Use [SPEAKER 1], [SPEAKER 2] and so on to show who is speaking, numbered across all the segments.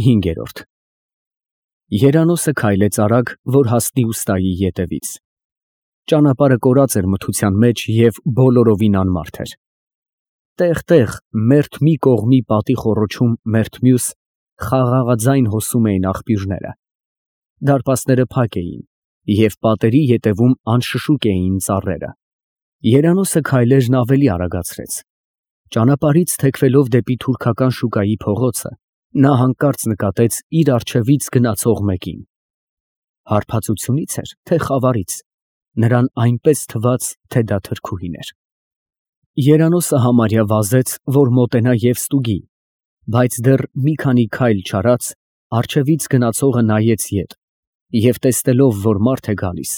[SPEAKER 1] 5։ Երանոսը քայլեց արագ, որ հասնի ուստայի ետևից։ Ճանապարհը կորած էր մթության մեջ և բոլորովին անմարդ էր։ Տեղ-տեղ մերթ մի կողմի պատի խոռոչում, մերթ մյուս խաղաղաձայն հոսում էին աղբյուրները։ Դարպասները փակ էին, և պատերի ետևում անշշուկ էին ծառերը։ Երանոսը քայլերն ավելի արագացրեց։ Ճանապարհից թեքվելով դեպի թուրքական շուկայի փողոցը, նա հանկարծ նկատեց իր առջևից գնացող մեկին։ Հարբածությունից էր, թե խավարից, նրան այնպես թվաց, թե դա թրքուհին էր։ Երանոսը համարյա վազեց, որ մոտենա և ստուգի, բայց դեռ մի քանի քայլ չարած, առջևից գնացողը նայեց ետ և տեսնելով, որ մարդ է գալիս,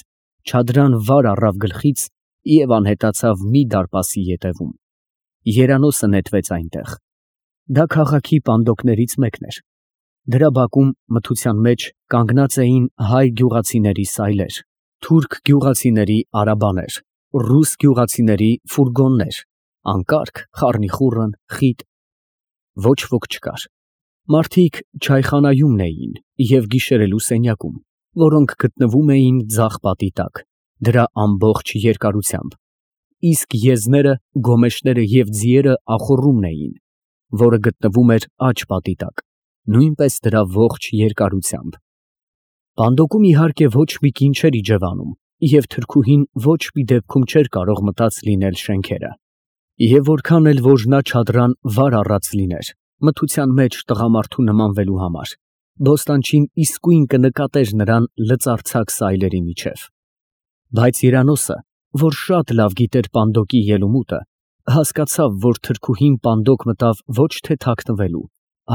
[SPEAKER 1] չադրան վար առավ գլխից և անհետացավ մի դարպասի ետևում։ Երանոսը նետվեց այնտեղ։ Դա քաղաքի պանդոկներից մեկն էր։ Դրա բակում մթության մեջ կանգնած էին հայ գյուղացիների սայլեր, թուրք գյուղացիների արաբաներ, ռուս գյուղացիների ֆուրգոններ, անկարգ, խառնիխուռն, խիտ։ Ոչ ոք չկար։ Մարդիկ չայխանայումն էին և գիշերելու սենյակում, որոնք գտնվում էին ձախ պատի տակ, դրա ամբողջ երկարությամբ, իսկ եզները, գոմեշները և ձիերը ախոռումն էին, որը գտնվում էր աջ պատի տակ, նույնպես դրա ողջ երկարությամբ։ Պանդոկում իհարկե ոչ մի կին չէր իջևանում, և թրքուհին ոչ մի դեպքում չէր կարող մտած լինել շենքերը։ Եվ որքան էլ որ նա չադրան վար առած լիներ, մթության մեջ տղամարդու նմանվելու համար, բոստանչին իսկույն կնկատեր նրան լծարձակ սայլերի միջև։ Բայց Երանոսը, որ շատ լավ գիտեր պանդոկի ելումուտը, հասկացավ, որ թրքուհին պանդոկ մտավ ոչ թե թաքնվելու,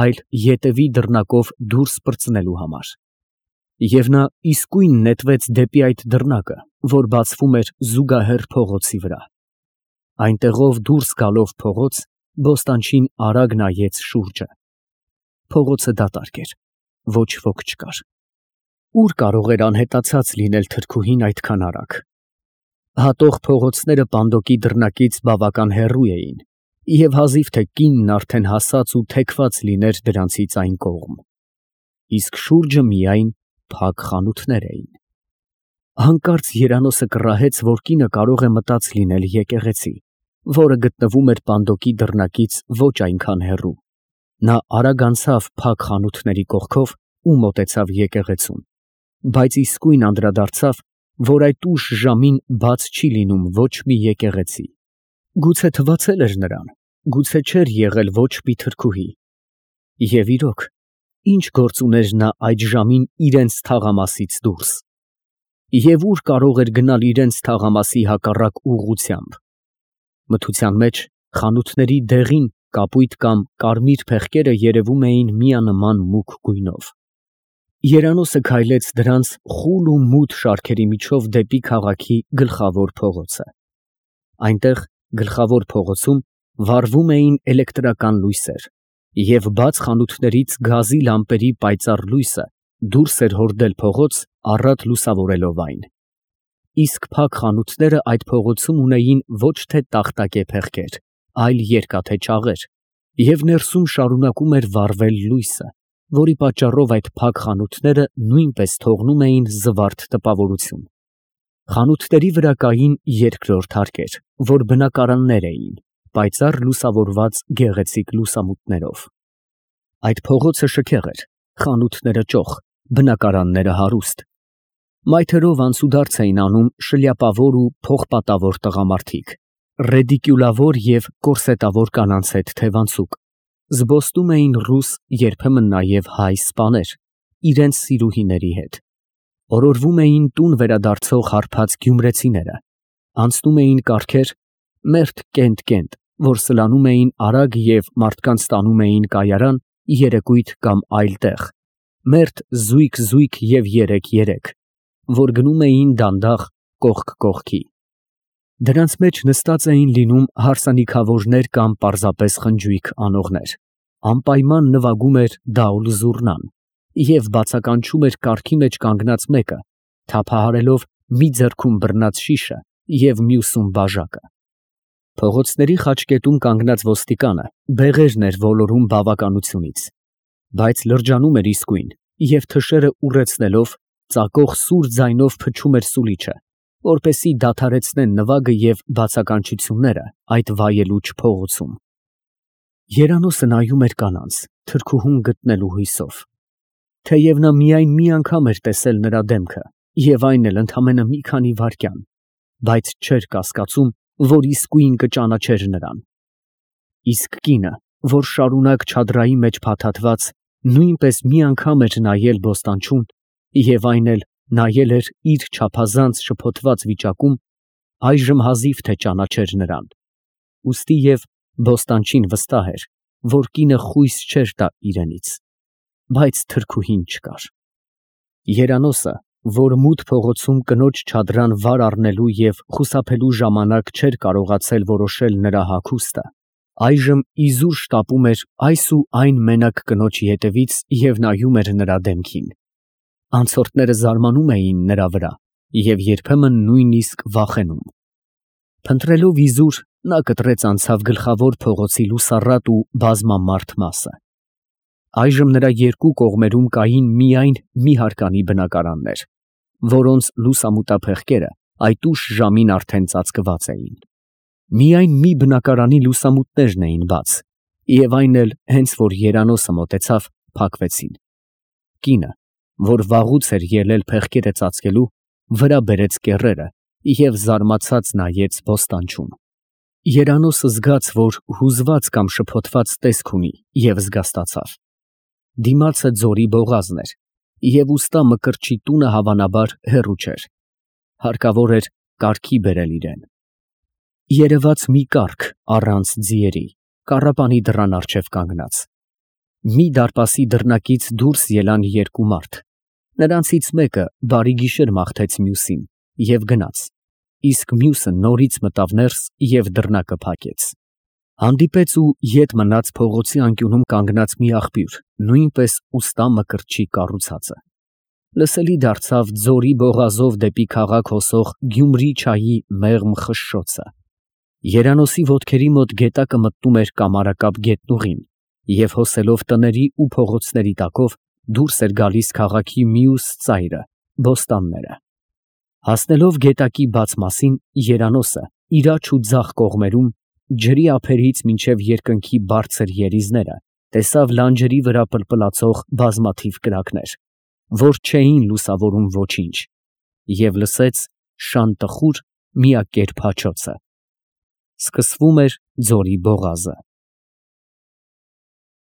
[SPEAKER 1] այլ ետևի դռնակով դուրս պրծնելու համար։ Եվ նա իսկույն նետվեց դեպի այդ դռնակը, որ բացվում էր զուգահեռ փողոցի վրա։ Այնտեղով դուրս գալով փողոց, բոստանչին արագ նայեց շուրջը։ Փողոցը դատարկ էր, ոչ ոք չկար։ Ուր կարող էր անհետացած լինել թրքուհին այդքան արագ։ Հատող փողոցները պանդոկի դռնակից բավական հեռու էին, և հազիվ թե կինն արդեն հասած ու թեքված լիներ դրանցից այն կողմ։ Իսկ շուրջը միայն փակ խանութներ էին։ Հանկարծ Երանոսը կռահեց, որ կինը կարող է մտած լինել եկեղեցի, որը գտնվում էր պանդոկի դռնակից ոչ այնքան հեռու։ Նա արագ անցավ փակ խանութների կողքով ու մոտեցավ եկեղեցուն, բայց իսկույն անդրադարձավ, որ այդ ուշ ժամին բաց չի լինում ոչ մի եկեղեցի։ Գուցե թվացել էր նրան, գուցե չէր եղել ոչ մի թրքուհի։ Եվ իրոք, ինչ գործ ուներ նա այդ ժամին իրենց թաղամասից դուրս։ Եվ ուր կարող էր գնալ իրենց թաղամասի հակառակ ուղղությամբ։ Մթության մեջ խանութների դեղին, կապույտ կամ կարմիր փեղկերը երևում էին միանման մուգ գույնով։ Երանոսը քայլեց դրանց խուլ ու մութ շարքերի միջով դեպի քաղաքի գլխավոր փողոցը։ Այնտեղ, գլխավոր փողոցում, վառվում էին էլեկտրական լույսեր, և բաց խանութներից գազի լամպերի պայծառ լույսը դուրս էր հորդել փողոց, առատ լուսավորելով այն։ Իսկ փակ խանութները այդ փողոցում ունեին ոչ թե տախտակե փեղկեր, այլ երկաթե ճաղեր, և ներսում շարունակում էր վառվել լույսը, որի պատճառով այդ փակ խանութները նույնպես թողնում էին զվարթ տպավորություն։ Խանութների վրա կային երկրորդ հարկեր, որ բնակարաններ էին, պայծառ լուսավորված գեղեցիկ լուսամուտներով։ Այդ փողոցը շքեղ էր, խանութները ճոխ, բնակարանները հարուստ։ Մայթերով անցուդարձ էին անում շլյապավոր ու փողպատավոր տղամարդիկ, ռեդիկյուլավոր և կորսետավոր կանանց հետ թևանցուկ։ Զբոսնում էին ռուս, երբեմն նաև հայ սպաներ, իրենց սիրուհիների հետ։ Օրորվում էին տուն վերադարձող հարբած գյումրեցիները, անցնում էին կառքեր, մերթ կենտ, որ սլանում էին արագ և մարդկանց տանում էին կայարան, երեկույթ կամ այլ տեղ, մերթ զույգ և երեք, որ գնում էին դանդաղ կողք կողքի։ Դրանց մեջ նստած էին լինում հարսանիքավորներ կամ պարզապես խնջույք անողներ, անպայման նվագում էր դաուլ֊զուռնան, և բացականչում էր կառքի մեջ կանգնած մեկը, թափահարելով մի ձեռքում բռնած շիշը և մյուսում բաժակը։ Փողոցների խաչկետում կանգնած ոստիկանը բեղերն էր ոլորում բավականությունից։ բայց լրջանում էր իսկույն և թշերը ուռեցնելով ծակող սուր ձայնով փչում էր սուլիչը, որպեսզի դադարեցնեն նվագը և բացականչությունները այդ վայելուչ փողոցում։ Երանոսը նայում էր կանանց, թրքուհուն գտնելու հույսով։ Թեև նա միայն մի անգամ էր տեսել նրա դեմքը, և այն էլ ընդամենը մի քանի վայրկյան, բայց չէր կասկածում, որ իսկույն կճանաչեր նրան։ Իսկ կինը, որ շարունակ չադրայի մեջ փաթաթված, նույնպես մի անգամ էր նայել բոստանչուն, և այն էլ նայել էր իր չափազանց շփոթված վիճակում, այժմ հազիվ թե ճանաչեր նրան։ Ուստի և բոստանչին վստահ էր, որ կինը խույս չէր տա իրենից, բայց թրքուհին չկար։ Երանոսը, որ մութ փողոցում կնոջ չադրան վար առնելու և խուսափելու ժամանակ չէր կարողացել որոշել նրա հագուստը, այժմ իզուր շտապում էր այս ու այն մենակ կնոջի ետևից և նայում էր նրա դեմքին։ Անցորդները զարմանում էին նրա վրա և երբեմն նույնիսկ վախենում։ Փնտրելով իզուր, նա կտրեց անցավ գլխավոր փողոցի լուսառատ ու բազմամարդ մասը։ Այժմ նրա երկու կողմերում կային միայն մի հարկանի բնակարաններ, որոնց լուսամուտափեղկերը այդ ուշ ժամին արդեն ծածկված էին։ Միայն մի բնակարանի լուսամուտներն էին բաց, և այն էլ հենց որ Երանոսը մոտեցավ, փակվեցին։ Կինը, որ վաղուց էր ելել փեղկերը ծածկելու, վրա բերեց կեռերը և զարմացած նայեց բոստանչուն։ Երանոսը զգաց, որ հուզված կամ շփոթված տեսք ունի և զգաստացավ։ Դիմացը ձորի բողազն էր, և ուստա Մկրտչի տունը հավանաբար հեռու չէր։ Հարկավոր էր կարգի բերել իրեն։ Երևաց մի կառք առանց ձիերի, կառապանի դռան առջև կանգնած։ Մի դարպասի դռնակից դուրս ելան երկու մարդ, նրանցից մեկը բարի գիշեր մաղթեց մյուսին և գնաց, իսկ մյուսը նորից մտավ ներս և դռնակը փակեց։ Հանդիպեց ու ետ մնաց փողոցի անկյունում կանգնած մի աղբյուր, նույնպես ուստա Մկրտչի կառուցածը։ Լսելի դարձավ ձորի բողազով դեպի քաղաք հոսող Գյումրի չայի մեղմ խշշոցը։ Երանոսի ոտքերի մոտ գետակը մտնում էր կամարակապ գետնուղին և հոսելով տների ու փողոցների տակով դուրս էր գալիս քաղաքի մյուս ծայրը, բոստանները։ Հասնելով գետակի բաց մասին, Երանոսը իր աջ ու ձախ կողմերում, ջրի ափերից մինչև երկնքի բարձր երիզները, տեսավ լանջերի վրա պլպլացող բազմաթիվ կրակներ, որ չէին լուսավորում ոչինչ, և լսեց շան տխուր, միակերպ հաչոցը։ Սկսվում էր ձորի բողազը։